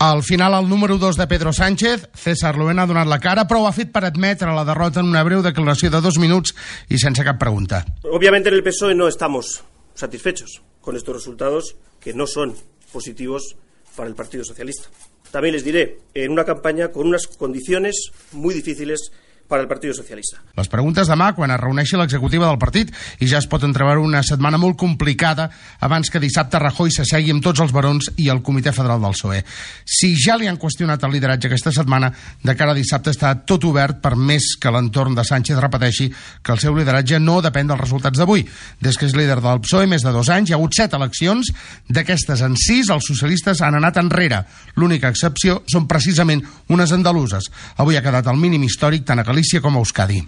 Al final, el número 2 de Pedro Sánchez, César Luena, ha donat la cara, però ho ha fet per admetre la derrota en una breu declaració de 2 minuts i sense cap pregunta. Obviamente en el PSOE no estamos satisfechos con estos resultados que no son positivos para el Partido Socialista. También les diré, en una campaña con unas condiciones muy difíciles para el Partido Socialista. Les preguntes demà quan es reuneixi l'executiva del partit i ja es pot entreveure una setmana molt complicada abans que dissabte Rajoy s'assegui amb tots els barons i el Comitè Federal del PSOE. Si ja li han qüestionat el lideratge aquesta setmana, de cara a dissabte està tot obert per més que l'entorn de Sánchez repeteixi que el seu lideratge no depèn dels resultats d'avui. Des que és líder del PSOE més de 2 anys, hi ha hagut 7 eleccions, d'aquestes en 6 els socialistes han anat enrere. L'única excepció són precisament unes andaluses. Avui ha quedat el mínim històric tant a Galícia com a Euskadi.